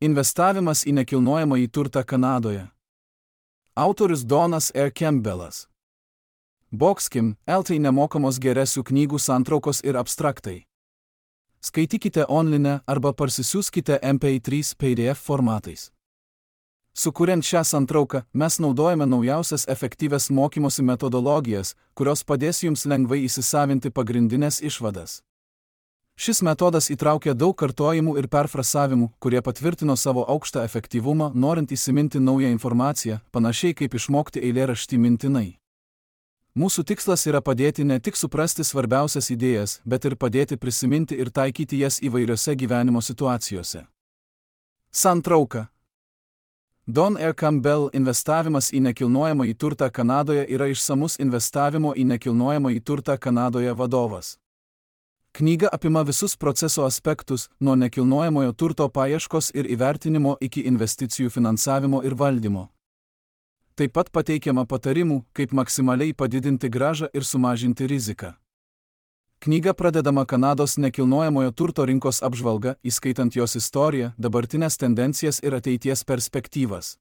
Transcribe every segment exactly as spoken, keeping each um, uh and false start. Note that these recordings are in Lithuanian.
Investavimas į nekilnojamąjį turtą Kanadoje. Autorius Donas R. Campbellas. Boxkim, L T nemokamos geresių knygų santraukos ir abstraktai. Skaitykite online arba parsisiųskite M P trys P D F formatais. Sukuriant šią santrauką, mes naudojame naujausias efektyvias mokymosi metodologijas, kurios padės jums lengvai įsisavinti pagrindinės išvadas. Šis metodas įtraukia daug kartojimų ir perfrasavimų, kurie patvirtino savo aukštą efektyvumą, norint įsiminti naują informaciją, panašiai kaip išmokti eilėraštį mintinai. Mūsų tikslas yra padėti ne tik suprasti svarbiausias idėjas, bet ir padėti prisiminti ir taikyti jas įvairiose gyvenimo situacijose. Santrauka. Don R. Campbell investavimas į nekilnojamąjį turtą Kanadoje yra išsamus investavimo į nekilnojamąjį turtą Kanadoje vadovas. Knyga apima visus proceso aspektus, nuo nekilnojamojo turto paieškos ir įvertinimo iki investicijų finansavimo ir valdymo. Taip pat pateikiama patarimų, kaip maksimaliai padidinti grąžą ir sumažinti riziką. Knyga pradedama Kanados nekilnojamojo turto rinkos apžvalga, įskaitant jos istoriją, dabartinės tendencijas ir ateities perspektyvas.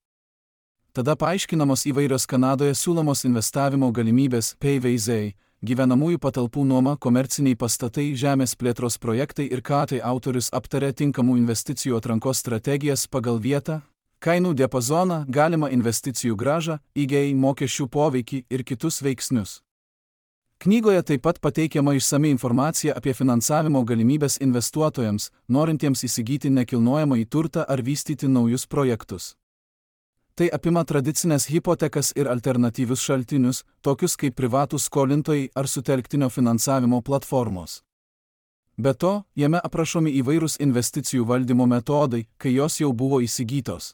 Tada paaiškinamos įvairios Kanadoje siūlomos investavimo galimybės, P V Z, gyvenamųjų patalpų nuoma, komerciniai pastatai, žemės plėtros projektai ir ką tai autorius aptarė tinkamų investicijų atrankos strategijas pagal vietą, kainų diapazoną, galimą investicijų grąžą, I G I mokesčių poveikį ir kitus veiksnius. Knygoje taip pat pateikiama išsami informacija apie finansavimo galimybės investuotojams, norintiems įsigyti nekilnojamąjį turtą ar vystyti naujus projektus. Tai apima tradicinės hipotekas ir alternatyvius šaltinius, tokius kaip privatūs skolintojai ar sutelktinio finansavimo platformos. Be to, jame aprašomi įvairūs investicijų valdymo metodai, kai jos jau buvo įsigytos.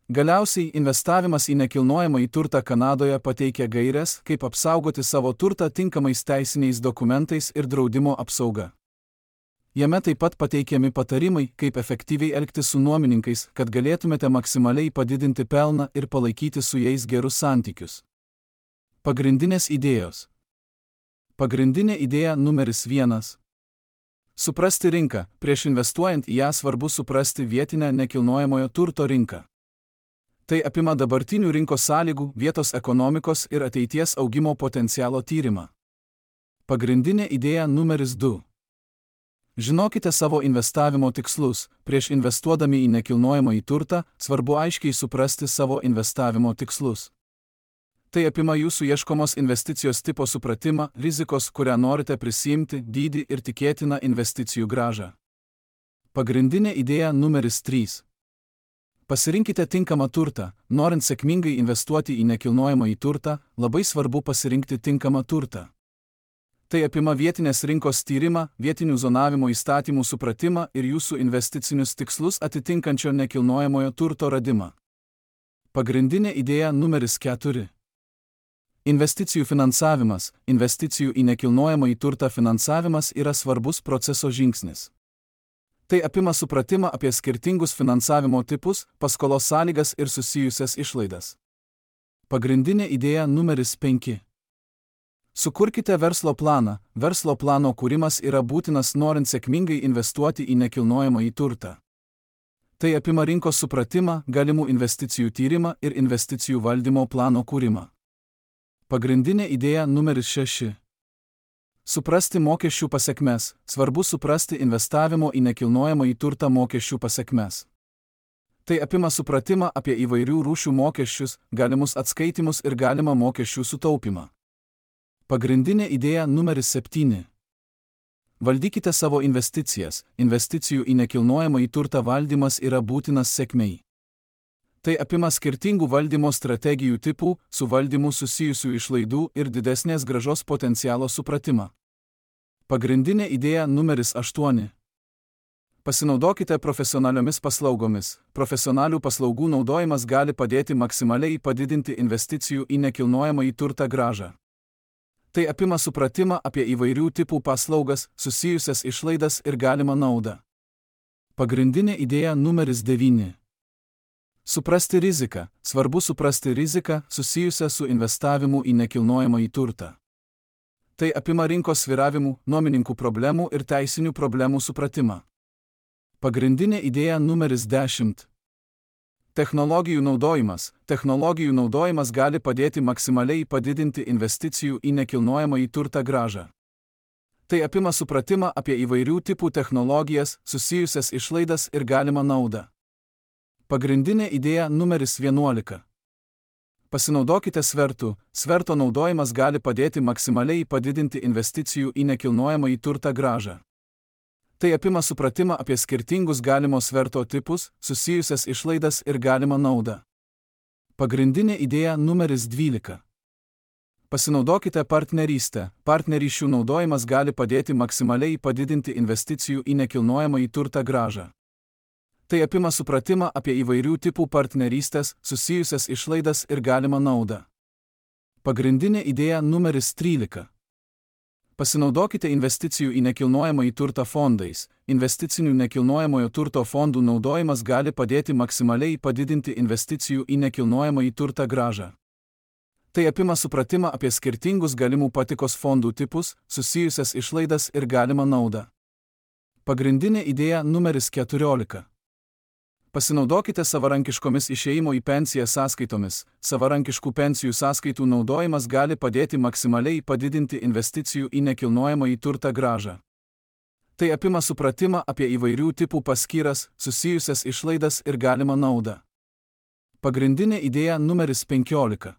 Galiausiai, investavimas į nekilnojamąjį turtą Kanadoje pateikia gaires, kaip apsaugoti savo turtą tinkamais teisiniais dokumentais ir draudimo apsauga. Jame taip pat pateikiami patarimai, kaip efektyviai elgtis su nuomininkais, kad galėtumėte maksimaliai padidinti pelną ir palaikyti su jais gerus santykius. Pagrindinės idėjos. Pagrindinė idėja numeris vienas. Suprasti rinką. Prieš investuojant į ją svarbu suprasti vietinę nekilnojamojo turto rinką. Tai apima dabartinių rinkos sąlygų, vietos ekonomikos ir ateities augimo potencialo tyrimą. Pagrindinė idėja numeris du. Žinokite savo investavimo tikslus. Prieš investuodami į nekilnojamąjį turtą, svarbu aiškiai suprasti savo investavimo tikslus. Tai apima jūsų ieškomos investicijos tipo supratimą, rizikos, kurią norite prisiimti, dydį ir tikėtiną investicijų grąžą. Pagrindinė idėja numeris trys. Pasirinkite tinkamą turtą. Norint sėkmingai investuoti į nekilnojamąjį turtą, labai svarbu pasirinkti tinkamą turtą. Tai apima vietinės rinkos tyrimą, vietinių zonavimo įstatymų supratimą ir jūsų investicinius tikslus atitinkančio nekilnojamojo turto radimą. Pagrindinė idėja numeris keturi. Investicijų finansavimas. Investicijų į nekilnojamąjį turtą finansavimas yra svarbus proceso žingsnis. Tai apima supratimą apie skirtingus finansavimo tipus, paskolos sąlygas ir susijusias išlaidas. Pagrindinė idėja numeris penki. Sukurkite verslo planą. Verslo plano kūrimas yra būtinas norint sėkmingai investuoti į nekilnojamąjį turtą. Tai apima rinkos supratimą, galimų investicijų tyrimą ir investicijų valdymo plano kūrimą. Pagrindinė idėja numeris šeši. Suprasti mokesčių pasekmes. Svarbu suprasti investavimo į nekilnojamąjį turtą mokesčių pasekmes. Tai apima supratimą apie įvairių rūšių mokesčius, galimus atskaitimus ir galimą mokesčių sutaupimą. Pagrindinė idėja numeris septyni. Valdykite savo investicijas. Investicijų į nekilnojamąjį turtą valdymas yra būtinas sėkmei. Tai apima skirtingų valdymo strategijų tipų, su valdymu susijusių išlaidų ir didesnės grąžos potencialo supratimą. Pagrindinė idėja numeris aštuoni. Pasinaudokite profesionaliomis paslaugomis. Profesionalių paslaugų naudojimas gali padėti maksimaliai padidinti investicijų į nekilnojamąjį turtą grąžą. Tai apima supratimą apie įvairių tipų paslaugas, susijusias išlaidas ir galimą naudą. Pagrindinė idėja numeris devyni. Suprasti riziką. Svarbu suprasti riziką susijusią su investavimu į nekilnojamąjį turtą. Tai apima rinkos svyravimų, nuomininkų problemų ir teisinių problemų supratimą. Pagrindinė idėja numeris dešimt. Technologijų naudojimas. Technologijų naudojimas gali padėti maksimaliai padidinti investicijų į nekilnojamąjį turtą grąžą. Tai apima supratimą apie įvairių tipų technologijas, susijusias išlaidas ir galimą naudą. Pagrindinė idėja numeris vienuolika. Pasinaudokite svertų. Sverto naudojimas gali padėti maksimaliai padidinti investicijų į nekilnojamąjį turtą grąžą. Tai apima supratimą apie skirtingus galimo sverto tipus, susijusias išlaidas ir galimą naudą. Pagrindinė idėja numeris dvylika. Pasinaudokite partnerystę. Partnerysčių naudojimas gali padėti maksimaliai padidinti investicijų į nekilnojamąjį turtą grąžą. Tai apima supratimą apie įvairių tipų partnerystės, susijusias išlaidas ir galimą naudą. Pagrindinė idėja numeris trylika. Pasinaudokite investicijų į nekilnojamąjį turtą fondais. Investicinių nekilnojamojo turto fondų naudojimas gali padėti maksimaliai padidinti investicijų į nekilnojamąjį turtą grąžą. Tai apima supratimą apie skirtingus galimų patikos fondų tipus, susijusias išlaidas ir galimą naudą. Pagrindinė idėja numeris keturiolika. Pasinaudokite savarankiškomis išėjimo į pensiją sąskaitomis. Savarankiškų pensijų sąskaitų naudojimas gali padėti maksimaliai padidinti investicijų į nekilnojamąjį turtą grąžą. Tai apima supratimą apie įvairių tipų paskyras, susijusias išlaidas ir galimą naudą. Pagrindinė idėja numeris penkiolika.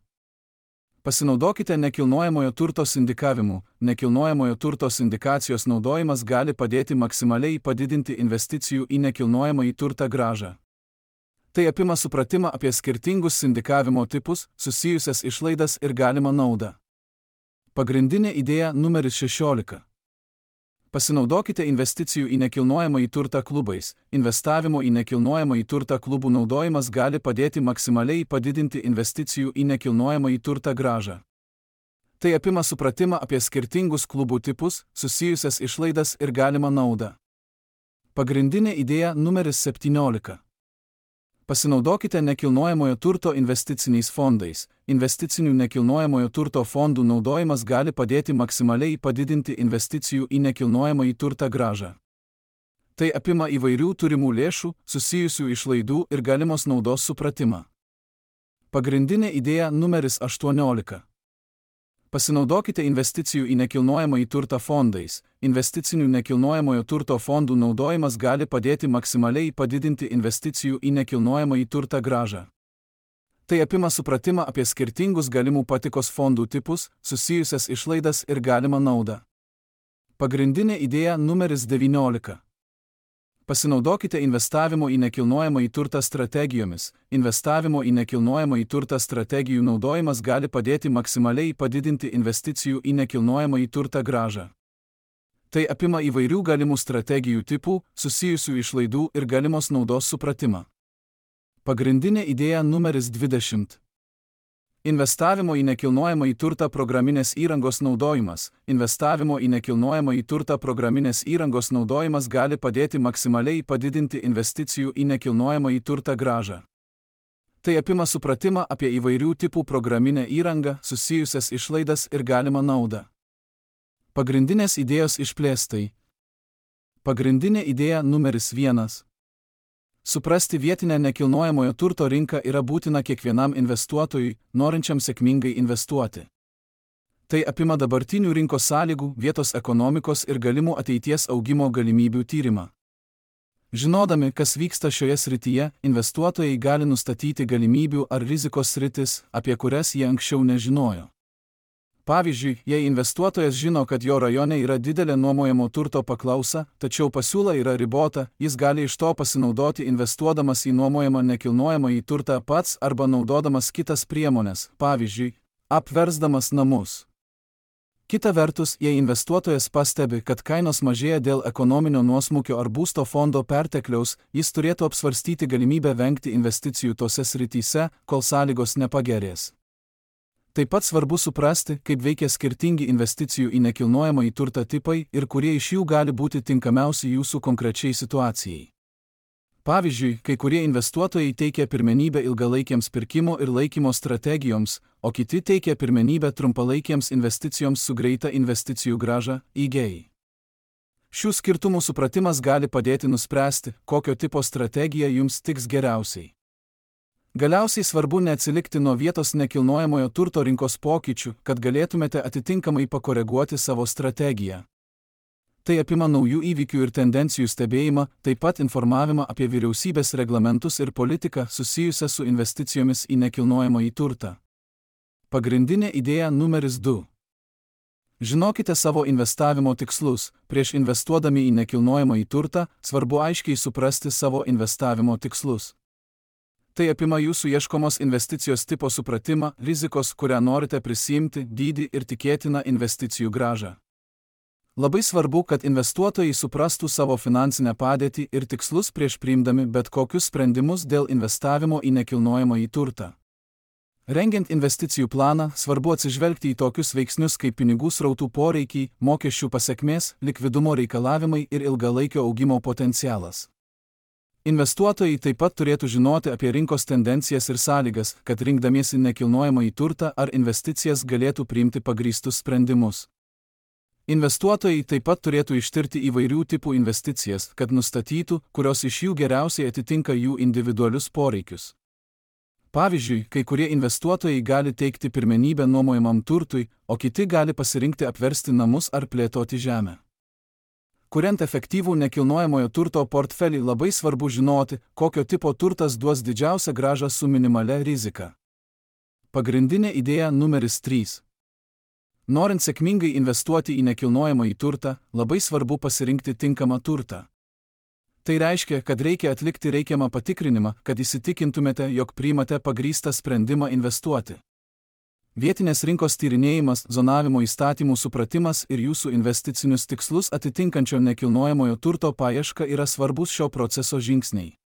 Pasinaudokite nekilnojamojo turto sindikavimu. Nekilnojamojo turto sindikacijos naudojimas gali padėti maksimaliai padidinti investicijų į nekilnojamąjį turtą grąžą. Tai apima supratimą apie skirtingus sindikavimo tipus, susijusias išlaidas ir galimą naudą. Pagrindinė idėja numeris šešiolika. Pasinaudokite investicijų į nekilnojamąjį turtą klubais. Investavimo į nekilnojamąjį turtą klubų naudojimas gali padėti maksimaliai padidinti investicijų į nekilnojamąjį turtą grąžą. Tai apima supratimą apie skirtingus klubų tipus, susijusias išlaidas ir galimą naudą. Pagrindinė idėja numeris septyniolika. Pasinaudokite nekilnojamojo turto investiciniais fondais. Investicinių nekilnojamojo turto fondų naudojimas gali padėti maksimaliai padidinti investicijų į nekilnojamąjį turtą grąžą. Tai apima įvairių turimų lėšų, susijusių išlaidų ir galimos naudos supratimą. Pagrindinė idėja numeris aštuoniolika. Pasinaudokite investicijų į nekilnojamąjį turtą fondais. Investicinių nekilnojamojo turto fondų naudojimas gali padėti maksimaliai padidinti investicijų į nekilnojamąjį turtą grąžą. Tai apima supratimą apie skirtingus galimų patikos fondų tipus, susijusias išlaidas ir galimą naudą. Pagrindinė idėja numeris devyniolika. Pasinaudokite investavimo į nekilnojamąjį turtą strategijomis. Investavimo į nekilnojamąjį turtą strategijų naudojimas gali padėti maksimaliai padidinti investicijų į nekilnojamąjį turtą grąžą. Tai apima įvairių galimų strategijų tipų, susijusių išlaidų ir galimos naudos supratimą. Pagrindinė idėja numeris dvidešimt. Investavimo į nekilnojamąjį turtą programinės įrangos naudojimas. Investavimo į nekilnojamąjį turtą programinės įrangos naudojimas gali padėti maksimaliai padidinti investicijų į nekilnojamąjį turtą grąžą. Tai apima supratimą apie įvairių tipų programinę įrangą, susijusias išlaidas ir galimą naudą. Pagrindinės idėjos išplėstai. Pagrindinė idėja numeris vienas. Suprasti vietinę nekilnojamojo turto rinką yra būtina kiekvienam investuotojui, norinčiam sėkmingai investuoti. Tai apima dabartinių rinkos sąlygų, vietos ekonomikos ir galimų ateities augimo galimybių tyrimą. Žinodami, kas vyksta šioje srityje, investuotojai gali nustatyti galimybių ar rizikos sritis, apie kurias jie anksčiau nežinojo. Pavyzdžiui, jei investuotojas žino, kad jo rajone yra didelė nuomojamo turto paklausa, tačiau pasiūla yra ribota, jis gali iš to pasinaudoti investuodamas į nuomojamą nekilnojamąjį turtą pats arba naudodamas kitas priemones, pavyzdžiui, apversdamas namus. Kita vertus, jei investuotojas pastebi, kad kainos mažėja dėl ekonominio nuosmukio ar būsto fondo pertekliaus, jis turėtų apsvarstyti galimybę vengti investicijų tose srityse, kol sąlygos nepagerės. Taip pat svarbu suprasti, kaip veikia skirtingi investicijų į nekilnojamąjį turtą tipai ir kurie iš jų gali būti tinkamiausi jūsų konkrečiai situacijai. Pavyzdžiui, kai kurie investuotojai teikia pirmenybę ilgalaikiams pirkimo ir laikymo strategijoms, o kiti teikia pirmenybę trumpalaikiems investicijoms su greita investicijų grąža, I G A. Šių skirtumų supratimas gali padėti nuspręsti, kokio tipo strategija jums tiks geriausiai. Galiausiai svarbu neatsilikti nuo vietos nekilnojamojo turto rinkos pokyčių, kad galėtumėte atitinkamai pakoreguoti savo strategiją. Tai apima naujų įvykių ir tendencijų stebėjimą, taip pat informavimą apie vyriausybės reglamentus ir politiką susijusią su investicijomis į nekilnojamąjį turtą. Pagrindinė idėja numeris du. Žinokite savo investavimo tikslus. Prieš investuodami į nekilnojamąjį turtą, svarbu aiškiai suprasti savo investavimo tikslus. Tai apima jūsų ieškomos investicijos tipo supratimą, rizikos, kurią norite prisiimti, dydį ir tikėtiną investicijų grąžą. Labai svarbu, kad investuotojai suprastų savo finansinę padėtį ir tikslus prieš priimdami bet kokius sprendimus dėl investavimo į nekilnojamąjį turtą. Rengiant investicijų planą, svarbu atsižvelgti į tokius veiksnius kaip pinigų srautų poreikiai, mokesčių pasekmės, likvidumo reikalavimai ir ilgalaikio augimo potencialas. Investuotojai taip pat turėtų žinoti apie rinkos tendencijas ir sąlygas, kad rinkdamiesi nekilnojamąjį turtą ar investicijas galėtų priimti pagrįstus sprendimus. Investuotojai taip pat turėtų ištirti įvairių tipų investicijas, kad nustatytų, kurios iš jų geriausiai atitinka jų individualius poreikius. Pavyzdžiui, kai kurie investuotojai gali teikti pirmenybę nuomojamam turtui, o kiti gali pasirinkti apversti namus ar plėtoti žemę. Kuriant efektyvų nekilnojamojo turto portfelį, labai svarbu žinoti, kokio tipo turtas duos didžiausią grąžą su minimalia rizika. Pagrindinė idėja numeris trys. Norint sėkmingai investuoti į nekilnojamąjį turtą, labai svarbu pasirinkti tinkamą turtą. Tai reiškia, kad reikia atlikti reikiamą patikrinimą, kad įsitikintumėte, jog priimate pagrįstą sprendimą investuoti. Vietinės rinkos tyrinėjimas, zonavimo įstatymų supratimas ir jūsų investicinius tikslus atitinkančio nekilnojamojo turto paieška yra svarbus šio proceso žingsniai.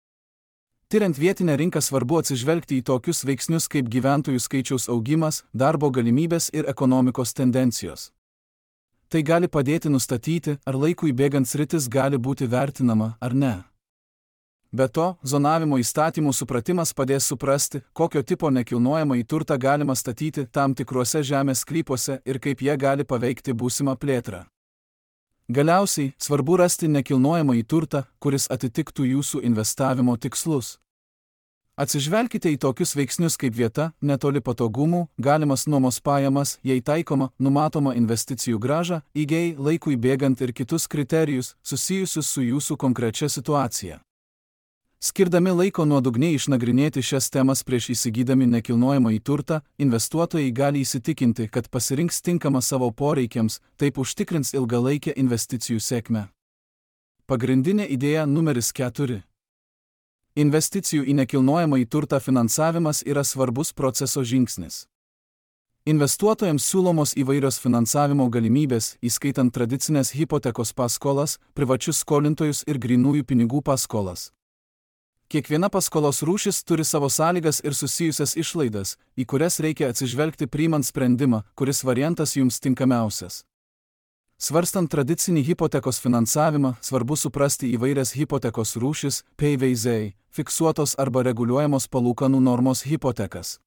Tiriant vietinę rinką svarbu atsižvelgti į tokius veiksnius kaip gyventojų skaičiaus augimas, darbo galimybės ir ekonomikos tendencijos. Tai gali padėti nustatyti, ar laikui bėgant sritis gali būti vertinama ar ne. Be to, zonavimo įstatymų supratimas padės suprasti, kokio tipo nekilnojamąjį turtą galima statyti tam tikruose žemės sklypuose ir kaip jie gali paveikti būsimą plėtrą. Galiausiai, svarbu rasti nekilnojamąjį turtą, kuris atitiktų jūsų investavimo tikslus. Atsižvelkite į tokius veiksnius kaip vieta, netoli patogumų, galimas nuomos pajamas, jei taikoma, numatoma investicijų grąža, įgei, laikui bėgant ir kitus kriterijus, susijusius su jūsų konkrečia situacija. Skirdami laiko nuodugniai išnagrinėti šias temas prieš įsigydami nekilnojamąjį turtą, investuotojai gali įsitikinti, kad pasirinks tinkamą savo poreikiams, taip užtikrins ilgalaikę investicijų sėkmę. Pagrindinė idėja numeris keturi. Investicijų į nekilnojamąjį turtą finansavimas yra svarbus proceso žingsnis. Investuotojams siūlomos įvairios finansavimo galimybės, įskaitant tradicinės hipotekos paskolas, privačius skolintojus ir grynųjų pinigų paskolas. Kiekviena paskolos rūšis turi savo sąlygas ir susijusias išlaidas, į kurias reikia atsižvelgti priimant sprendimą, kuris variantas jums tinkamiausias. Svarstant tradicinį hipotekos finansavimą, svarbu suprasti įvairias hipotekos rūšis, P V Z, fiksuotos arba reguliuojamos palūkanų normos hipotekas.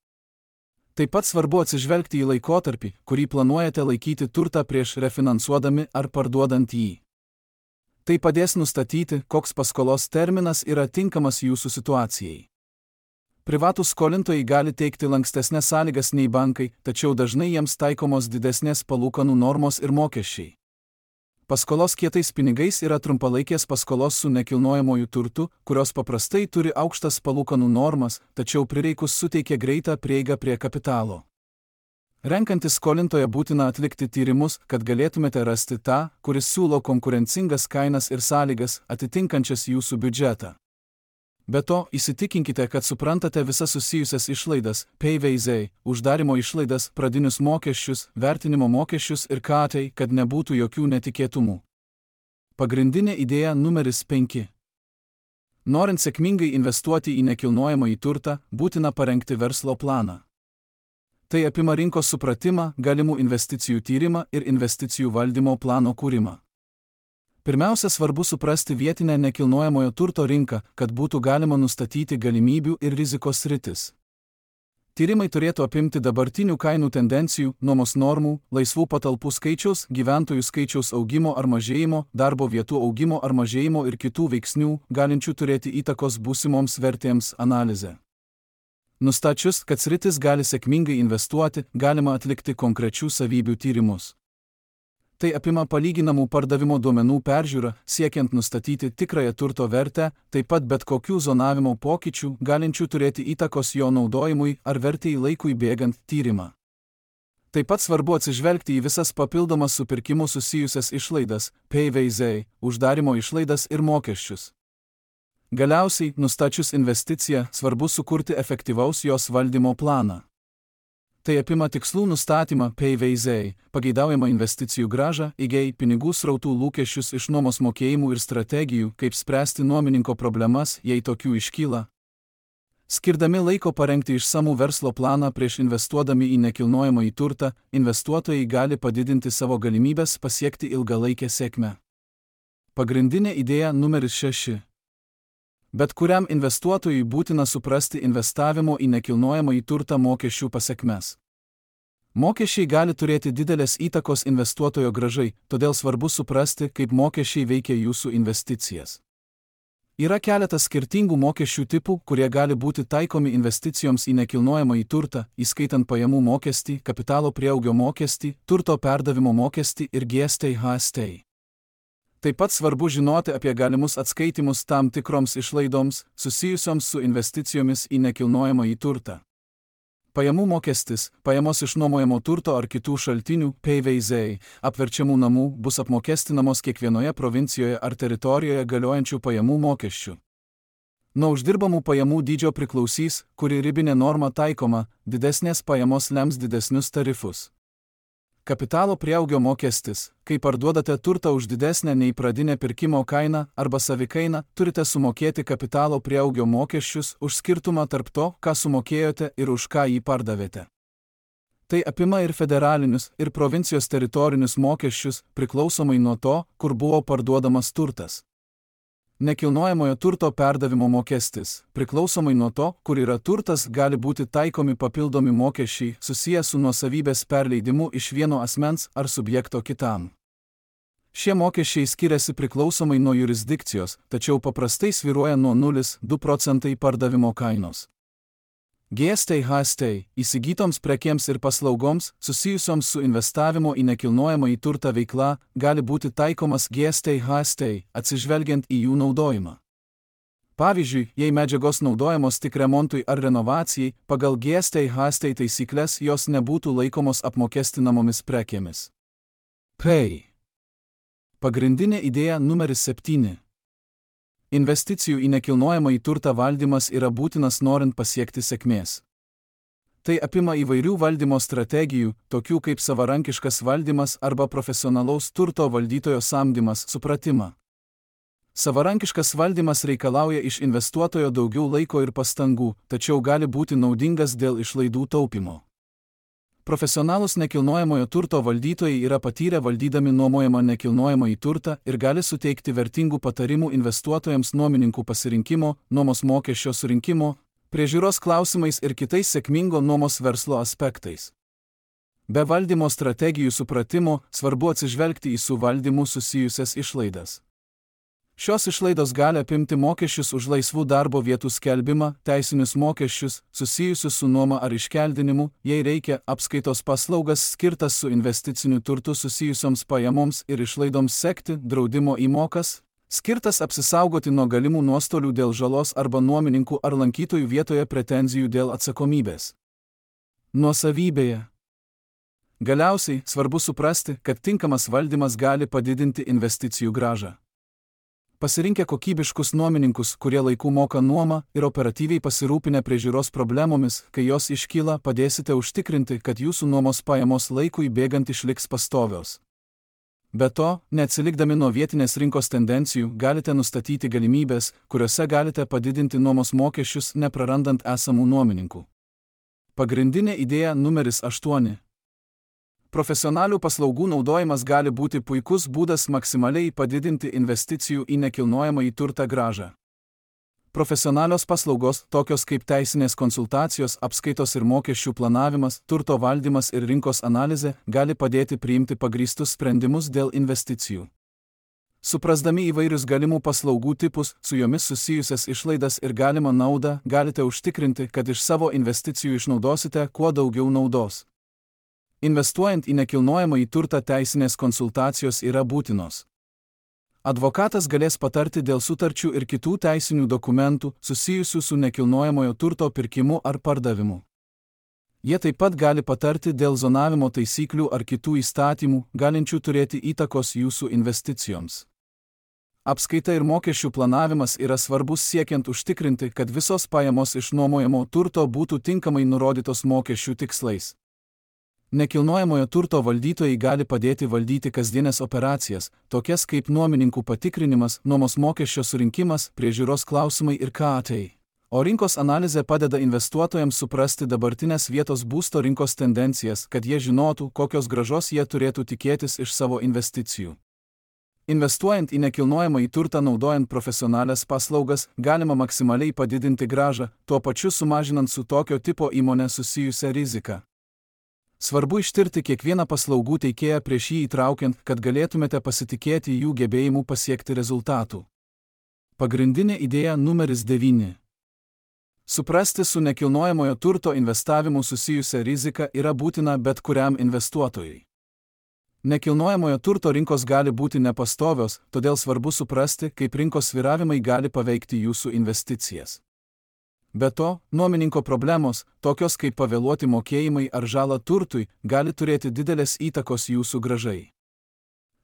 Taip pat svarbu atsižvelgti į laikotarpį, kurį planuojate laikyti turtą prieš refinansuodami ar parduodant jį. Tai padės nustatyti, koks paskolos terminas yra tinkamas jūsų situacijai. Privatūs skolintojai gali teikti lankstesnes sąlygas nei bankai, tačiau dažnai jiems taikomos didesnės palūkanų normos ir mokesčiai. Paskolos kietais pinigais yra trumpalaikės paskolos su nekilnojamoju turtu, kurios paprastai turi aukštas palūkanų normas, tačiau prireikus suteikia greitą prieigą prie kapitalo. Renkantis skolintoją būtina atlikti tyrimus, kad galėtumėte rasti tą, kuris siūlo konkurencingas kainas ir sąlygas, atitinkančias jūsų biudžetą. Be to, įsitikinkite, kad suprantate visas susijusias išlaidas, P V Z, uždarimo išlaidas, pradinius mokesčius, vertinimo mokesčius ir katai, kad nebūtų jokių netikėtumų. Pagrindinė idėja numeris penki. Norint sėkmingai investuoti į nekilnojamąjį turtą, būtina parengti verslo planą. Tai apima rinkos supratimą, galimų investicijų tyrimą ir investicijų valdymo plano kūrimą. Pirmiausia, svarbu suprasti vietinę nekilnojamojo turto rinką, kad būtų galima nustatyti galimybių ir rizikos sritis. Tyrimai turėtų apimti dabartinių kainų tendencijų, nuomos normų, laisvų patalpų skaičiaus, gyventojų skaičiaus augimo ar mažėjimo, darbo vietų augimo ar mažėjimo ir kitų veiksnių, galinčių turėti įtakos būsimoms vertėms analizę. Nustačius, kad sritis gali sėkmingai investuoti, galima atlikti konkrečių savybių tyrimus. Tai apima palyginamų pardavimo duomenų peržiūrą, siekiant nustatyti tikrąją turto vertę, taip pat bet kokių zonavimo pokyčių, galinčių turėti įtakos jo naudojimui ar vertėjai laikui bėgant tyrimą. Taip pat svarbu atsižvelgti į visas papildomas su pirkimu susijusias išlaidas, P V Z, uždarimo išlaidas ir mokesčius. Galiausiai, nustačius investiciją, svarbu sukurti efektyvaus jos valdymo planą. Tai apima tikslų nustatymą, P V Z, pageidaujamą investicijų grąžą, I G, pinigų srautų lūkesčius iš nuomos mokėjimų ir strategijų, kaip spręsti nuomininko problemas, jei tokių iškyla. Skirdami laiko parengti išsamų verslo planą prieš investuodami į nekilnojamąjį turtą, investuotojai gali padidinti savo galimybės pasiekti ilgalaikę sėkmę. Pagrindinė idėja numeris šeši. Bet kuriam investuotojui būtina suprasti investavimo į nekilnojamąjį turtą mokesčių pasekmes. Mokesčiai gali turėti didelės įtakos investuotojo grąžai, todėl svarbu suprasti, kaip mokesčiai veikia jūsų investicijas. Yra keletas skirtingų mokesčių tipų, kurie gali būti taikomi investicijoms į nekilnojamąjį turtą, įskaitant pajamų mokestį, kapitalo prieaugio mokestį, turto perdavimo mokestį ir G S T H S T. Taip pat svarbu žinoti apie galimus atskaitimus tam tikroms išlaidoms, susijusioms su investicijomis į nekilnojamąjį turtą. Pajamų mokestis, pajamos iš nuomojamo turto ar kitų šaltinių, P V Z, apverčiamų namų, bus apmokestinamos kiekvienoje provincijoje ar teritorijoje galiojančių pajamų mokesčių. Nuo uždirbamų pajamų dydžio priklausys, kuri ribinė norma taikoma, didesnės pajamos lems didesnius tarifus. Kapitalo prieaugio mokestis, kai parduodate turtą už didesnę nei pradinę pirkimo kainą arba savikainą, turite sumokėti kapitalo prieaugio mokesčius už skirtumą tarp to, ką sumokėjote ir už ką jį pardavėte. Tai apima ir federalinius, ir provincijos teritorinius mokesčius, priklausomai nuo to, kur buvo parduodamas turtas. Nekilnojamojo turto perdavimo mokestis, priklausomai nuo to, kur yra turtas, gali būti taikomi papildomi mokesčiai susiję su nuosavybės perleidimu iš vieno asmens ar subjekto kitam. Šie mokesčiai skiriasi priklausomai nuo jurisdikcijos, tačiau paprastai svyruoja nuo nulio iki du procentai pardavimo kainos. G S T H S T įsigytoms prekėms ir paslaugoms, susijusioms su investavimo į nekilnojamąjį turtą veikla, gali būti taikomas G S T H S T, atsižvelgiant į jų naudojimą. Pavyzdžiui, jei medžiagos naudojamos tik remontui ar renovacijai, pagal G S T H S T taisyklės jos nebūtų laikomos apmokestinamomis prekėmis. P. Pagrindinė idėja numeris septyni. Investicijų į nekilnojamąjį turtą valdymas yra būtinas norint pasiekti sėkmės. Tai apima įvairių valdymo strategijų, tokių kaip savarankiškas valdymas arba profesionalaus turto valdytojo samdymas, supratimą. Savarankiškas valdymas reikalauja iš investuotojo daugiau laiko ir pastangų, tačiau gali būti naudingas dėl išlaidų taupymo. Profesionalūs nekilnojamojo turto valdytojai yra patyrę valdydami nuomojamą nekilnojamąjį turtą ir gali suteikti vertingų patarimų investuotojams nuomininkų pasirinkimo, nuomos mokesčio surinkimo, priežiūros klausimais ir kitais sėkmingo nuomos verslo aspektais. Be valdymo strategijų supratimo svarbu atsižvelgti į su valdymu susijusias išlaidas. Šios išlaidos gali apimti mokesčius už laisvų darbo vietų skelbimą, teisinius mokesčius, susijusius su nuoma ar iškeldinimu, jei reikia, apskaitos paslaugas skirtas su investiciniu turtu susijusioms pajamoms ir išlaidoms sekti, draudimo įmokas, skirtas apsisaugoti nuo galimų nuostolių dėl žalos arba nuomininkų ar lankytojų vietoje pretenzijų dėl atsakomybės. Nuosavybėje. Galiausiai, svarbu suprasti, kad tinkamas valdymas gali padidinti investicijų grąžą. Pasirinkę kokybiškus nuomininkus, kurie laiku moka nuomą ir operatyviai pasirūpinę priežiūros problemomis, kai jos iškyla, padėsite užtikrinti, kad jūsų nuomos pajamos laikui bėgant išliks pastovios. Be to, neatsilikdami nuo vietinės rinkos tendencijų, galite nustatyti galimybės, kuriuose galite padidinti nuomos mokesčius, neprarandant esamų nuomininkų. Pagrindinė idėja numeris aštuoni. Profesionalių paslaugų naudojimas gali būti puikus būdas maksimaliai padidinti investicijų į nekilnojamąjį turtą grąžą. Profesionalios paslaugos, tokios kaip teisinės konsultacijos, apskaitos ir mokesčių planavimas, turto valdymas ir rinkos analizė, gali padėti priimti pagrįstus sprendimus dėl investicijų. Suprasdami įvairius galimų paslaugų tipus, su jomis susijusias išlaidas ir galimą naudą, galite užtikrinti, kad iš savo investicijų išnaudosite kuo daugiau naudos. Investuojant į nekilnojamąjį turtą, teisinės konsultacijos yra būtinos. Advokatas galės patarti dėl sutarčių ir kitų teisinių dokumentų susijusių su nekilnojamojo turto pirkimu ar pardavimu. Jie taip pat gali patarti dėl zonavimo taisyklių ar kitų įstatymų, galinčių turėti įtakos jūsų investicijoms. Apskaita ir mokesčių planavimas yra svarbus siekiant užtikrinti, kad visos pajamos iš nuomojamo turto būtų tinkamai nurodytos mokesčių tikslais. Nekilnojamojo turto valdytojai gali padėti valdyti kasdienės operacijas, tokias kaip nuomininkų patikrinimas, nuomos mokesčio surinkimas, priežiūros klausimai ir K A T. O rinkos analizė padeda investuotojams suprasti dabartinės vietos būsto rinkos tendencijas, kad jie žinotų, kokios grąžos jie turėtų tikėtis iš savo investicijų. Investuojant į nekilnojamąjį turtą naudojant profesionalias paslaugas, galima maksimaliai padidinti grąžą, tuo pačiu sumažinant su tokio tipo įmonė susijusią riziką. Svarbu ištirti kiekvieną paslaugų teikėją prieš jį įtraukiant, kad galėtumėte pasitikėti jų gebėjimu pasiekti rezultatų. Pagrindinė idėja numeris devyni. Suprasti su nekilnojamojo turto investavimu susijusią riziką yra būtina bet kuriam investuotojui. Nekilnojamojo turto rinkos gali būti nepastovios, todėl svarbu suprasti, kaip rinkos svyravimai gali paveikti jūsų investicijas. Be to, nuomininko problemos, tokios kaip pavėluoti mokėjimai ar žala turtui, gali turėti didelės įtakos jūsų grąžai.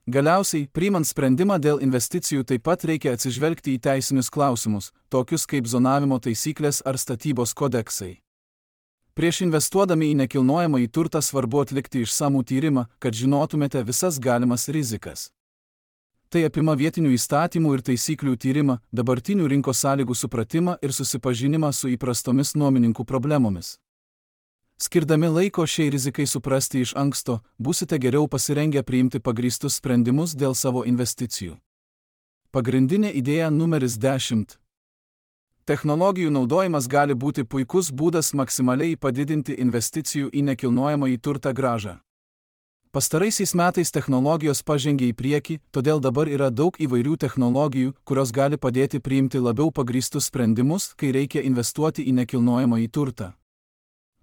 Galiausiai, priimant sprendimą dėl investicijų taip pat reikia atsižvelgti į teisinius klausimus, tokius kaip zonavimo taisyklės ar statybos kodeksai. Prieš investuodami į nekilnojamąjį turtą svarbu atlikti išsamų tyrimą, kad žinotumėte visas galimas rizikas. Tai apima vietinių įstatymų ir taisyklių tyrimą, dabartinių rinkos sąlygų supratimą ir susipažinimą su įprastomis nuomininkų problemomis. Skirdami laiko šiai rizikai suprasti iš anksto, būsite geriau pasirengę priimti pagrįstus sprendimus dėl savo investicijų. Pagrindinė idėja numeris dešimt. Technologijų naudojimas gali būti puikus būdas maksimaliai padidinti investicijų į nekilnojamąjį turtą grąžą. Pastaraisiais metais technologijos pažengė į priekį, todėl dabar yra daug įvairių technologijų, kurios gali padėti priimti labiau pagrįstus sprendimus, kai reikia investuoti į nekilnojamąjį turtą.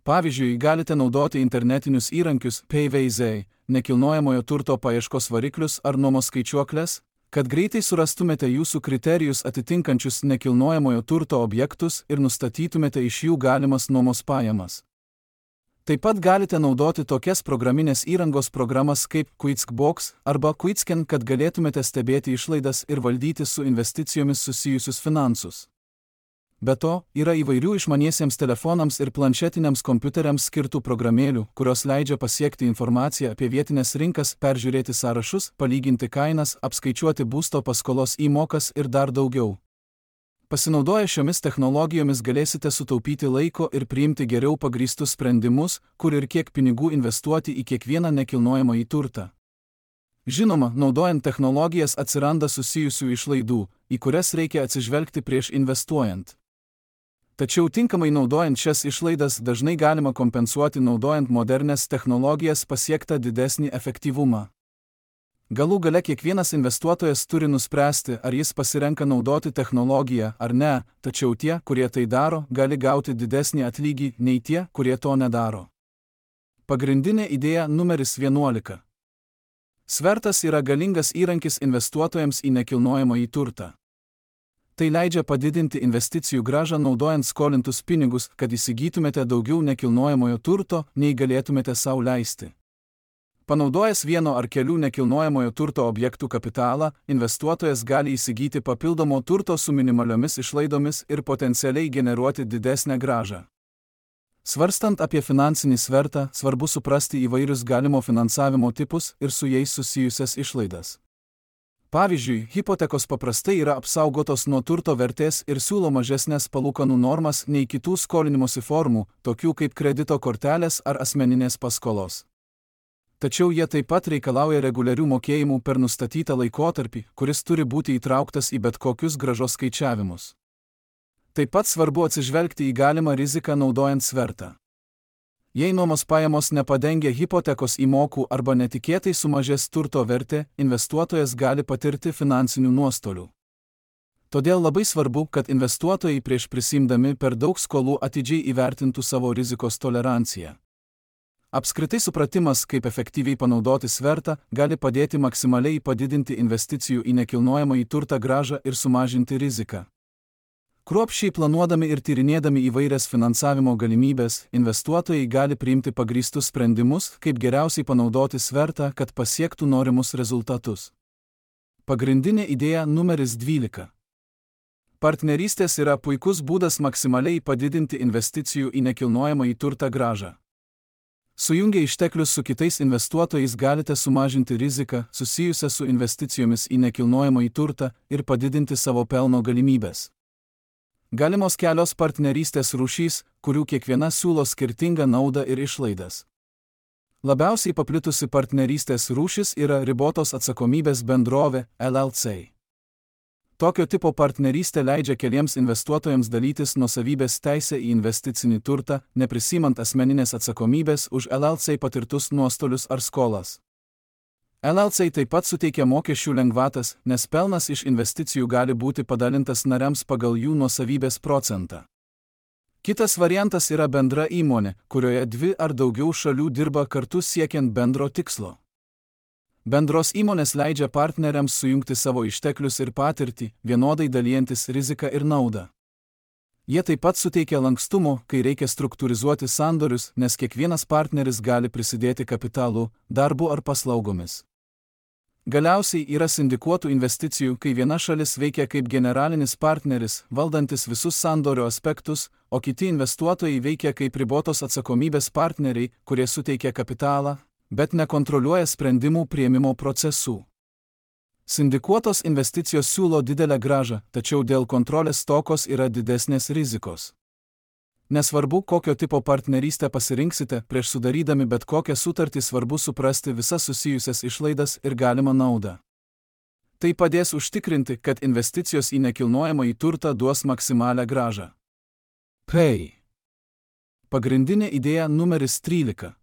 Pavyzdžiui, galite naudoti internetinius įrankius P V Z, nekilnojamojo turto paieškos variklius ar nuomos skaičiuokles, kad greitai surastumėte jūsų kriterijus atitinkančius nekilnojamojo turto objektus ir nustatytumėte iš jų galimas nuomos pajamas. Taip pat galite naudoti tokias programinės įrangos programas kaip QuickBooks arba QuickScan, kad galėtumėte stebėti išlaidas ir valdyti su investicijomis susijusius finansus. Be to, yra įvairių išmaniesiems telefonams ir planšetiniams kompiuteriams skirtų programėlių, kurios leidžia pasiekti informaciją apie vietinės rinkas, peržiūrėti sąrašus, palyginti kainas, apskaičiuoti būsto paskolos įmokas ir dar daugiau. Pasinaudoję šiomis technologijomis galėsite sutaupyti laiko ir priimti geriau pagrįstus sprendimus, kur ir kiek pinigų investuoti į kiekvieną nekilnojamąjį turtą. Žinoma, naudojant technologijas atsiranda susijusių išlaidų, į kurias reikia atsižvelgti prieš investuojant. Tačiau tinkamai naudojant šias išlaidas dažnai galima kompensuoti naudojant modernias technologijas pasiektą didesnį efektyvumą. Galų gale kiekvienas investuotojas turi nuspręsti, ar jis pasirenka naudoti technologiją ar ne, tačiau tie, kurie tai daro, gali gauti didesnį atlygį nei tie, kurie to nedaro. Pagrindinė idėja numeris vienuolika. Svertas yra galingas įrankis investuotojams į nekilnojamąjį turtą. Tai leidžia padidinti investicijų grąžą naudojant skolintus pinigus, kad įsigytumėte daugiau nekilnojamojo turto, nei galėtumėte sau leisti. Panaudojęs vieno ar kelių nekilnojamojo turto objektų kapitalą, investuotojas gali įsigyti papildomo turto su minimaliomis išlaidomis ir potencialiai generuoti didesnę grąžą. Svarstant apie finansinį svertą, svarbu suprasti įvairius galimo finansavimo tipus ir su jais susijusias išlaidas. Pavyzdžiui, hipotekos paprastai yra apsaugotos nuo turto vertės ir siūlo mažesnės palūkanų normas nei kitų skolinimosi formų, tokių kaip kredito kortelės ar asmeninės paskolos. Tačiau jie taip pat reikalauja reguliarių mokėjimų per nustatytą laikotarpį, kuris turi būti įtrauktas į bet kokius grąžos skaičiavimus. Taip pat svarbu atsižvelgti į galimą riziką naudojant svertą. Jei nuomos pajamos nepadengia hipotekos įmokų arba netikėtai sumažės turto vertė, investuotojas gali patirti finansinių nuostolių. Todėl labai svarbu, kad investuotojai prieš prisiimdami per daug skolų atidžiai įvertintų savo rizikos toleranciją. Apskritai supratimas, kaip efektyviai panaudoti svertą, gali padėti maksimaliai padidinti investicijų į nekilnojamąjį turtą grąžą ir sumažinti riziką. Kruopščiai planuodami ir tyrinėdami įvairias finansavimo galimybės, investuotojai gali priimti pagrįstus sprendimus, kaip geriausiai panaudoti svertą, kad pasiektų norimus rezultatus. Pagrindinė idėja numeris dvylika. Partnerystės yra puikus būdas maksimaliai padidinti investicijų į nekilnojamąjį turtą grąžą. Sujungę išteklius su kitais investuotojais galite sumažinti riziką susijusią su investicijomis į nekilnojamąjį turtą ir padidinti savo pelno galimybės. Galimos kelios partnerystės rūšys, kurių kiekviena siūlo skirtingą naudą ir išlaidas. Labiausiai paplitusi partnerystės rūšis yra ribotos atsakomybės bendrovė L L C. Tokio tipo partnerystė leidžia keliems investuotojams dalytis nuosavybės teisę į investicinį turtą, neprisimant asmeninės atsakomybės už L L C patirtus nuostolius ar skolas. L L C taip pat suteikia mokesčių lengvatas, nes pelnas iš investicijų gali būti padalintas nariams pagal jų nuosavybės procentą. Kitas variantas yra bendra įmonė, kurioje dvi ar daugiau šalių dirba kartu siekiant bendro tikslo. Bendros įmonės leidžia partneriams sujungti savo išteklius ir patirtį, vienodai dalijantis riziką ir naudą. Jie taip pat suteikia lankstumo, kai reikia struktūrizuoti sandorius, nes kiekvienas partneris gali prisidėti kapitalu, darbu ar paslaugomis. Galiausiai yra sindikuotų investicijų, kai viena šalis veikia kaip generalinis partneris, valdantis visus sandorio aspektus, o kiti investuotojai veikia kaip ribotos atsakomybės partneriai, kurie suteikia kapitalą, bet nekontroliuoja sprendimų priėmimo procesų. Sindikuotos investicijos siūlo didelę grąžą, tačiau dėl kontrolės stokos yra didesnės rizikos. Nesvarbu, kokio tipo partnerystę pasirinksite, prieš sudarydami bet kokią sutartį svarbu suprasti visas susijusias išlaidas ir galimą naudą. Tai padės užtikrinti, kad investicijos į nekilnojamąjį turtą duos maksimalią grąžą. P. Pagrindinė idėja numeris trylika.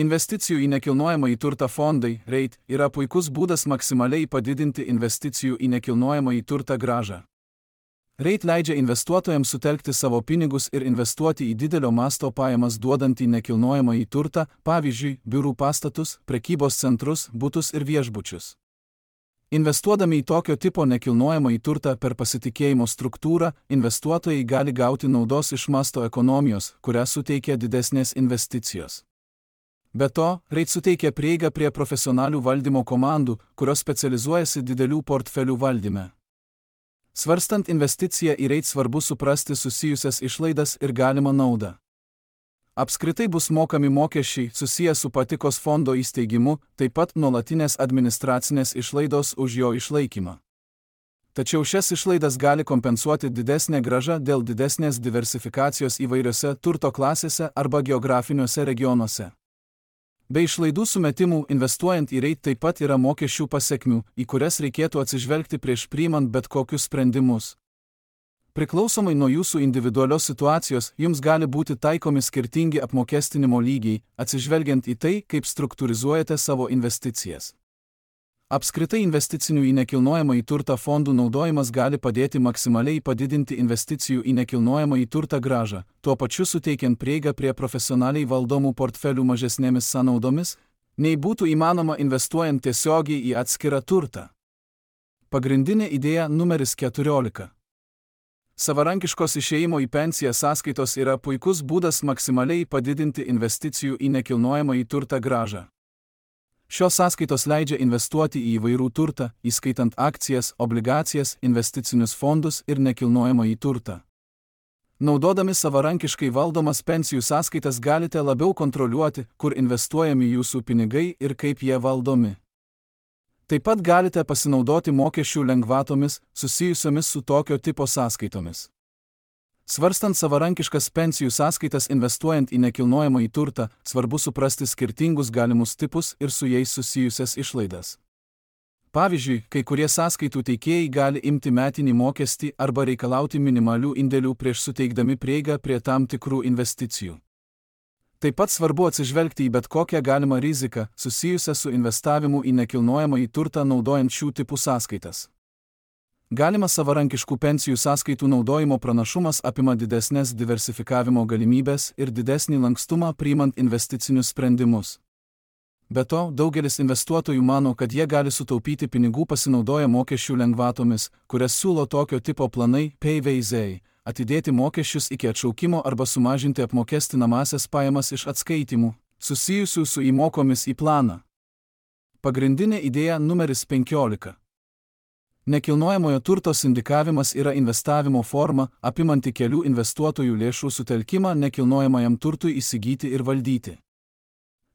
Investicijų į nekilnojamąjį turtą fondai, REIT, yra puikus būdas maksimaliai padidinti investicijų į nekilnojamąjį turtą grąžą. REIT leidžia investuotojams sutelkti savo pinigus ir investuoti į didelio masto pajamas duodantį nekilnojamąjį turtą, pavyzdžiui, biurų pastatus, prekybos centrus, butus ir viešbučius. Investuodami į tokio tipo nekilnojamąjį turtą per pasitikėjimo struktūrą, investuotojai gali gauti naudos iš masto ekonomijos, kurią suteikia didesnės investicijos. Be to, REIT suteikia prieigą prie profesionalių valdymo komandų, kurios specializuojasi didelių portfelių valdyme. Svarstant investiciją į REIT svarbu suprasti susijusias išlaidas ir galimą naudą. Apskritai bus mokami mokesčiai susiję su patikos fondo įsteigimu, taip pat nuolatinės administracinės išlaidos už jo išlaikymą. Tačiau šias išlaidas gali kompensuoti didesnė grąža dėl didesnės diversifikacijos įvairiose turto klasėse arba geografiniuose regionuose. Be išlaidų sumetimų investuojant į REIT taip pat yra mokesčių pasekmių, į kurias reikėtų atsižvelgti prieš priimant bet kokius sprendimus. Priklausomai nuo jūsų individualios situacijos, jums gali būti taikomi skirtingi apmokestinimo lygiai, atsižvelgiant į tai, kaip struktūrizuojate savo investicijas. Apskritai investicinių į nekilnojamąjį turtą fondų naudojimas gali padėti maksimaliai padidinti investicijų į nekilnojamąjį turtą grąžą, tuo pačiu suteikiant prieigą prie profesionaliai valdomų portfelių mažesnėmis sąnaudomis, nei būtų įmanoma investuojant tiesiogiai į atskirą turtą. Pagrindinė idėja numeris keturiolika. Savarankiškos išėjimo į pensiją sąskaitos yra puikus būdas maksimaliai padidinti investicijų į nekilnojamąjį turtą grąžą. Šios sąskaitos leidžia investuoti į įvairių turtą, įskaitant akcijas, obligacijas, investicinius fondus ir nekilnojamąjį turtą. Naudodami savarankiškai valdomas pensijų sąskaitas galite labiau kontroliuoti, kur investuojami jūsų pinigai ir kaip jie valdomi. Taip pat galite pasinaudoti mokesčių lengvatomis, susijusiomis su tokio tipo sąskaitomis. Svarstant savarankiškas pensijų sąskaitas investuojant į nekilnojamąjį turtą, svarbu suprasti skirtingus galimus tipus ir su jais susijusias išlaidas. Pavyzdžiui, kai kurie sąskaitų teikėjai gali imti metinį mokestį arba reikalauti minimalių indėlių prieš suteikdami prieigą prie tam tikrų investicijų. Taip pat svarbu atsižvelgti į bet kokią galimą riziką susijusią su investavimu į nekilnojamąjį turtą naudojant šių tipų sąskaitas. Galimas savarankiškų pensijų sąskaitų naudojimo pranašumas apima didesnės diversifikavimo galimybės ir didesnį lankstumą priimant investicinius sprendimus. Be to, daugelis investuotojų mano, kad jie gali sutaupyti pinigų pasinaudoję mokesčių lengvatomis, kurias siūlo tokio tipo planai Payveizai, atidėti mokesčius iki atšaukimo arba sumažinti apmokestinamąsias pajamas iš atskaitimų, susijusių su įmokomis į planą. Pagrindinė idėja numeris penkiolika. Nekilnojamojo turto sindikavimas yra investavimo forma, apimanti kelių investuotojų lėšų sutelkimą nekilnojamajam turtui įsigyti ir valdyti.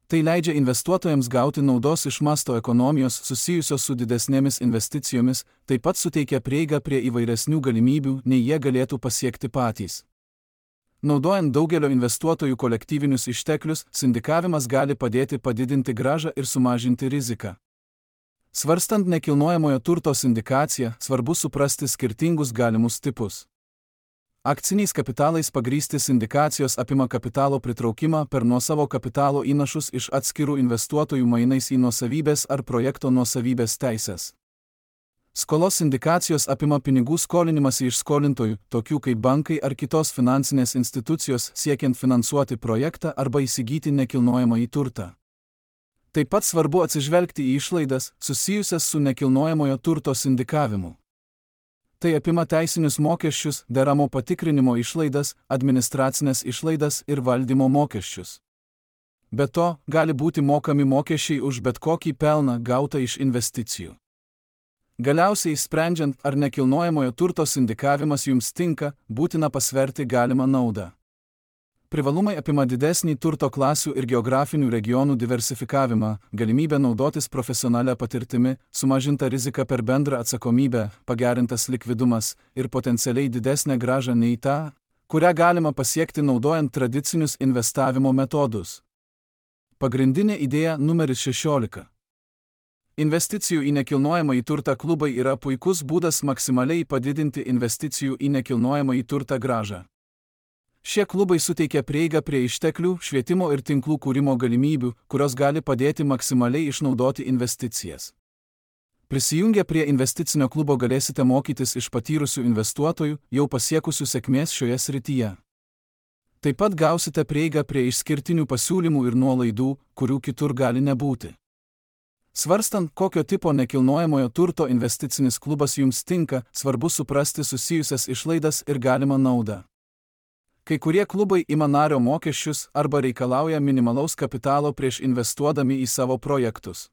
Tai leidžia investuotojams gauti naudos iš masto ekonomijos susijusios su didesnėmis investicijomis, taip pat suteikia prieigą prie įvairesnių galimybių, nei jie galėtų pasiekti patys. Naudojant daugelio investuotojų kolektyvinius išteklius, sindikavimas gali padėti padidinti grąžą ir sumažinti riziką. Svarstant nekilnojamojo turto sindikaciją, svarbu suprasti skirtingus galimus tipus. Akciniais kapitalais pagrįsti sindikacijos apima kapitalo pritraukimą per nuosavo kapitalo įnašus iš atskirų investuotojų mainais į nuosavybės ar projekto nuosavybės teises. Skolos sindikacijos apima pinigų skolinimąsi iš skolintojų, tokių kaip bankai ar kitos finansinės institucijos siekiant finansuoti projektą arba įsigyti nekilnojamąjį turtą. Taip pat svarbu atsižvelgti į išlaidas susijusias su nekilnojamojo turto sindikavimu. Tai apima teisinius mokesčius, deramo patikrinimo išlaidas, administracinės išlaidas ir valdymo mokesčius. Be to, gali būti mokami mokesčiai už bet kokį pelną gautą iš investicijų. Galiausiai, sprendžiant, ar nekilnojamojo turto sindikavimas jums tinka, būtina pasverti galimą naudą. Privalumai apima didesnį turto klasių ir geografinių regionų diversifikavimą, galimybę naudotis profesionalią patirtimi, sumažinta rizika per bendrą atsakomybę, pagerintas likvidumas ir potencialiai didesnę grąžą nei tą, kurią galima pasiekti naudojant tradicinius investavimo metodus. Pagrindinė idėja numeris šešiolika. Investicijų į nekilnojamąjį turtą klubai yra puikus būdas maksimaliai padidinti investicijų į nekilnojamąjį turtą grąžą. Šie klubai suteikia prieigą prie išteklių, švietimo ir tinklų kūrimo galimybių, kurios gali padėti maksimaliai išnaudoti investicijas. Prisijungę prie investicinio klubo galėsite mokytis iš patyrusių investuotojų, jau pasiekusių sėkmės šioje srityje. Taip pat gausite prieigą prie išskirtinių pasiūlymų ir nuolaidų, kurių kitur gali nebūti. Svarstant, kokio tipo nekilnojamojo turto investicinis klubas jums tinka, svarbu suprasti susijusias išlaidas ir galimą naudą. Kai kurie klubai ima nario mokesčius arba reikalauja minimalaus kapitalo prieš investuodami į savo projektus.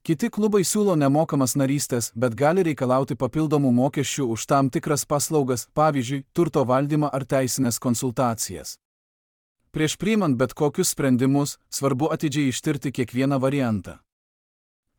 Kiti klubai siūlo nemokamas narystės, bet gali reikalauti papildomų mokesčių už tam tikras paslaugas, pavyzdžiui, turto valdymą ar teisinės konsultacijas. Prieš priimant bet kokius sprendimus, svarbu atidžiai ištirti kiekvieną variantą.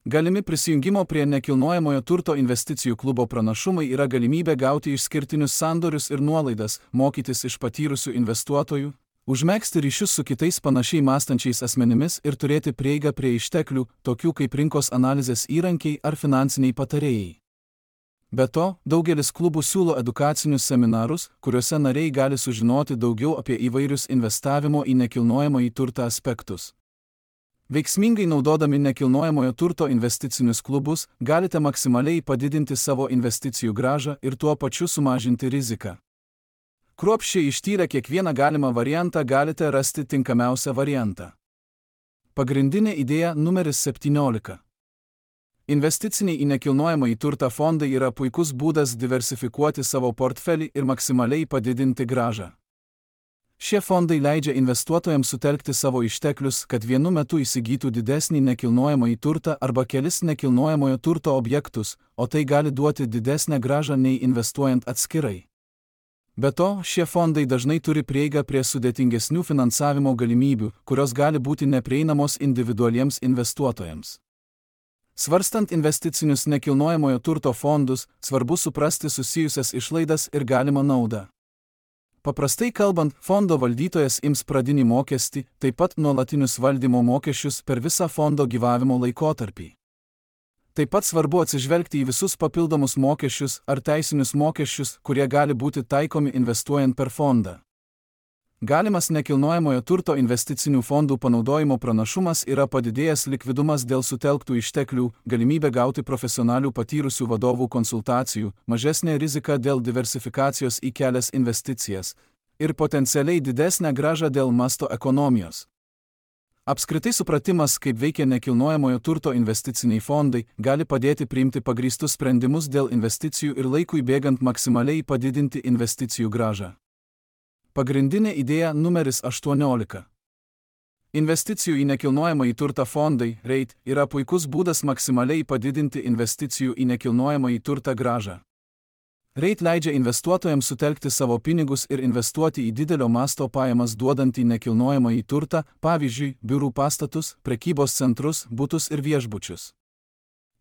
Galimi prisijungimo prie nekilnojamojo turto investicijų klubo pranašumai yra galimybė gauti išskirtinius sandorius ir nuolaidas, mokytis iš patyrusių investuotojų, užmegzti ryšius su kitais panašiai mąstančiais asmenimis ir turėti prieigą prie išteklių, tokių kaip rinkos analizės įrankiai ar finansiniai patarėjai. Be to, daugelis klubų siūlo edukacinius seminarus, kuriuose nariai gali sužinoti daugiau apie įvairius investavimo į nekilnojamąjį turtą aspektus. Veiksmingai naudodami nekilnojamojo turto investicinius klubus, galite maksimaliai padidinti savo investicijų grąžą ir tuo pačiu sumažinti riziką. Kruopščiai ištyrę kiekvieną galimą variantą galite rasti tinkamiausią variantą. Pagrindinė idėja numeris septyniolika. Investiciniai į nekilnojamąjį turtą fondai yra puikus būdas diversifikuoti savo portfelį ir maksimaliai padidinti grąžą. Šie fondai leidžia investuotojams sutelkti savo išteklius, kad vienu metu įsigytų didesnį nekilnojamąjį turtą arba kelis nekilnojamojo turto objektus, o tai gali duoti didesnę grąžą nei investuojant atskirai. Be to, šie fondai dažnai turi prieigą prie sudėtingesnių finansavimo galimybių, kurios gali būti neprieinamos individualiems investuotojams. Svarstant investicinius nekilnojamojo turto fondus, svarbu suprasti susijusias išlaidas ir galimą naudą. Paprastai kalbant, fondo valdytojas ims pradinį mokestį, taip pat nuolatinius valdymo mokesčius per visą fondo gyvavimo laikotarpį. Taip pat svarbu atsižvelgti į visus papildomus mokesčius ar teisinius mokesčius, kurie gali būti taikomi investuojant per fondą. Galimas nekilnojamojo turto investicinių fondų panaudojimo pranašumas yra padidėjęs likvidumas dėl sutelktų išteklių, galimybė gauti profesionalių patyrusių vadovų konsultacijų, mažesnė rizika dėl diversifikacijos į kelias investicijas ir potencialiai didesnė grąža dėl masto ekonomijos. Apskritai supratimas, kaip veikia nekilnojamojo turto investiciniai fondai, gali padėti priimti pagrįstus sprendimus dėl investicijų ir laikui bėgant maksimaliai padidinti investicijų grąžą. Pagrindinė idėja numeris aštuoniolika. Investicijų į nekilnojamąjį turtą fondai, REIT, yra puikus būdas maksimaliai padidinti investicijų į nekilnojamąjį turtą grąžą. REIT leidžia investuotojams sutelkti savo pinigus ir investuoti į didelio masto pajamas duodantį nekilnojamąjį turtą, pavyzdžiui, biurų pastatus, prekybos centrus, butus ir viešbučius.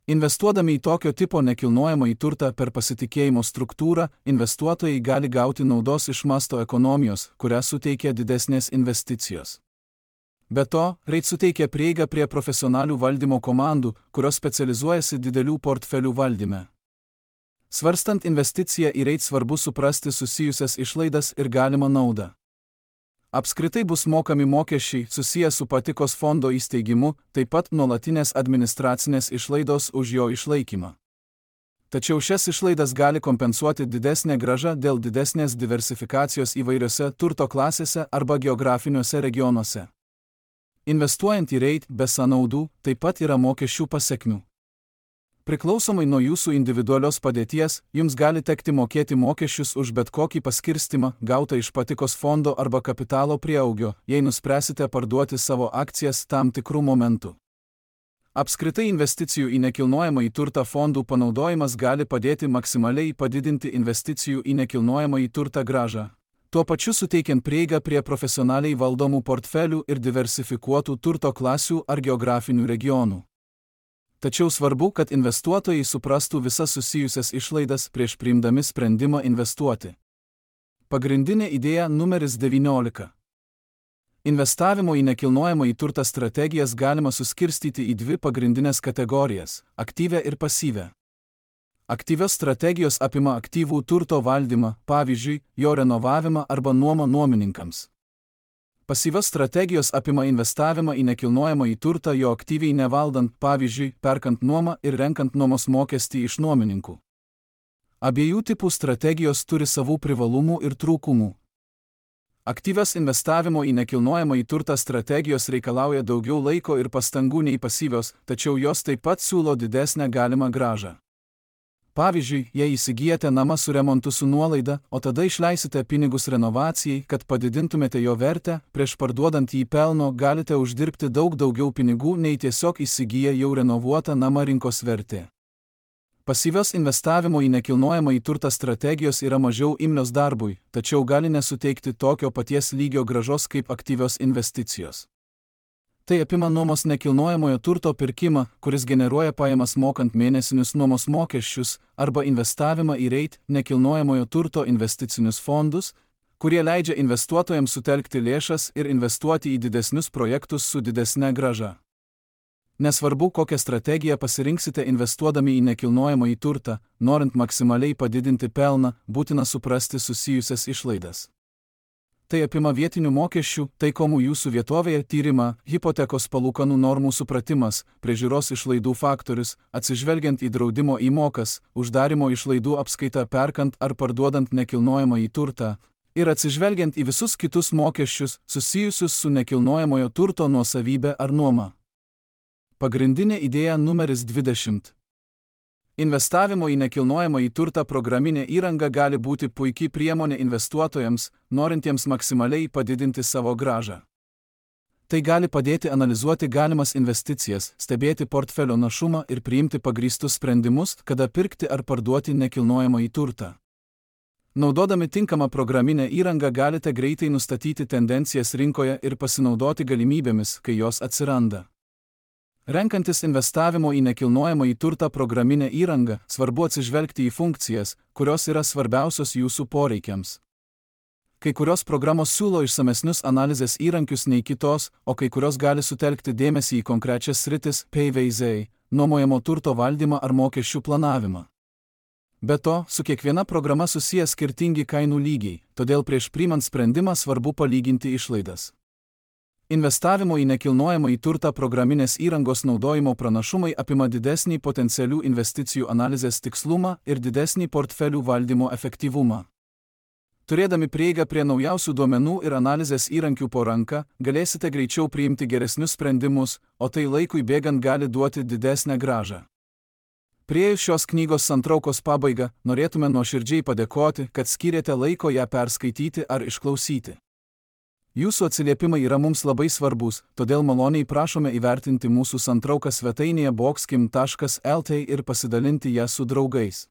Investuodami į tokio tipo nekilnojamąjį turtą per pasitikėjimo struktūrą, investuotojai gali gauti naudos iš masto ekonomijos, kurią suteikia didesnės investicijos. Be to, REIT suteikia prieigą prie profesionalių valdymo komandų, kurios specializuojasi didelių portfelių valdyme. Svarstant investiciją į REIT svarbu suprasti susijusias išlaidas ir galimą naudą. Apskritai bus mokami mokesčiai susiję su patikos fondo įsteigimu, taip pat nuolatinės administracinės išlaidos už jo išlaikymą. Tačiau šias išlaidas gali kompensuoti didesnė grąža dėl didesnės diversifikacijos įvairiose turto klasėse arba geografiniuose regionuose. Investuojant į REIT be sąnaudų taip pat yra mokesčių pasekmių. Priklausomai nuo jūsų individualios padėties, jums gali tekti mokėti mokesčius už bet kokį paskirstimą, gautą iš patikos fondo arba kapitalo prieaugio, jei nuspręsite parduoti savo akcijas tam tikrų momentų. Apskritai investicijų į nekilnojamąjį turtą fondų panaudojimas gali padėti maksimaliai padidinti investicijų į nekilnojamąjį turtą grąžą, tuo pačiu suteikiant prieigą prie profesionaliai valdomų portfelių ir diversifikuotų turto klasių ar geografinių regionų. Tačiau svarbu, kad investuotojai suprastų visas susijusias išlaidas prieš priimdami sprendimą investuoti. Pagrindinė idėja numeris devyniolika. Investavimo į nekilnojamąjį turtą strategijas galima suskirstyti į dvi pagrindinės kategorijas – aktyvią ir pasyvią. Aktyvios strategijos apima aktyvų turto valdymą, pavyzdžiui, jo renovavimą arba nuomą nuomininkams. Pasyvios strategijos apima investavimą į nekilnojamąjį turtą jo aktyviai nevaldant, pavyzdžiui, perkant nuomą ir renkant nuomos mokestį iš nuomininkų. Abiejų tipų strategijos turi savų privalumų ir trūkumų. Aktyvios investavimo į nekilnojamąjį turtą strategijos reikalauja daugiau laiko ir pastangų nei pasyvios, tačiau jos taip pat siūlo didesnę galimą grąžą. Pavyzdžiui, jei įsigijate namą su remontu su nuolaida, o tada išleisite pinigus renovacijai, kad padidintumėte jo vertę, prieš parduodant jį pelno galite uždirbti daug daugiau pinigų nei tiesiog įsigiję jau renovuotą namą rinkos vertė. Pasyvios investavimo į nekilnojamąjį turtą strategijos yra mažiau imlios darbui, tačiau gali nesuteikti tokio paties lygio grąžos kaip aktyvios investicijos. Tai apima nuomos nekilnojamojo turto pirkimą, kuris generuoja pajamas mokant mėnesinius nuomos mokesčius, arba investavimą į REIT nekilnojamojo turto investicinius fondus, kurie leidžia investuotojams sutelkti lėšas ir investuoti į didesnius projektus su didesne grąža. Nesvarbu, kokią strategiją pasirinksite investuodami į nekilnojamąjį turtą, norint maksimaliai padidinti pelną, būtina suprasti susijusias išlaidas. Tai apima vietinių mokesčių, taikomų jūsų vietovėje tyrimą, hipotekos palūkanų normų supratimas, priežiūros išlaidų faktorius, atsižvelgiant į draudimo įmokas, uždarimo išlaidų apskaitą perkant ar parduodant nekilnojamąjį turtą, ir atsižvelgiant į visus kitus mokesčius susijusius su nekilnojamojo turto nuosavybė ar nuoma. Pagrindinė idėja numeris dvidešimt. Investavimo į nekilnojamąjį turtą programinė įranga gali būti puikiai priemonė investuotojams, norintiems maksimaliai padidinti savo grąžą. Tai gali padėti analizuoti galimas investicijas, stebėti portfelio našumą ir priimti pagrįstus sprendimus, kada pirkti ar parduoti nekilnojamąjį turtą. Naudodami tinkamą programinę įrangą galite greitai nustatyti tendencijas rinkoje ir pasinaudoti galimybėmis, kai jos atsiranda. Renkantis investavimo į nekilnojamąjį turtą programinę įrangą, svarbu atsižvelgti į funkcijas, kurios yra svarbiausios jūsų poreikiams. Kai kurios programos siūlo išsamesnius analizės įrankius nei kitos, o kai kurios gali sutelkti dėmesį į konkrečias sritis, P V Z, nuomojamo turto valdymą ar mokesčių planavimą. Be to, su kiekviena programa susiję skirtingi kainų lygiai, todėl prieš priimant sprendimą svarbu palyginti išlaidas. Investavimo į nekilnojamą į turtą programinės įrangos naudojimo pranašumai apima didesnį potencialių investicijų analizės tikslumą ir didesnį portfelių valdymo efektyvumą. Turėdami prieigą prie naujausių duomenų ir analizės įrankių po ranka, galėsite greičiau priimti geresnius sprendimus, o tai laikui bėgant gali duoti didesnę grąžą. Priėjus šios knygos santraukos pabaigą, norėtume nuoširdžiai padėkoti, kad skyrėte laiko ją perskaityti ar išklausyti. Jūsų atsiliepimai yra mums labai svarbus, todėl maloniai prašome įvertinti mūsų santrauką svetainėje boxkim taškas el t ir pasidalinti ją su draugais.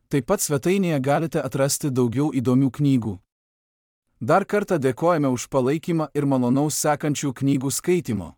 Taip pat svetainėje galite atrasti daugiau įdomių knygų. Dar kartą dėkojame už palaikymą ir malonaus sekančių knygų skaitimo.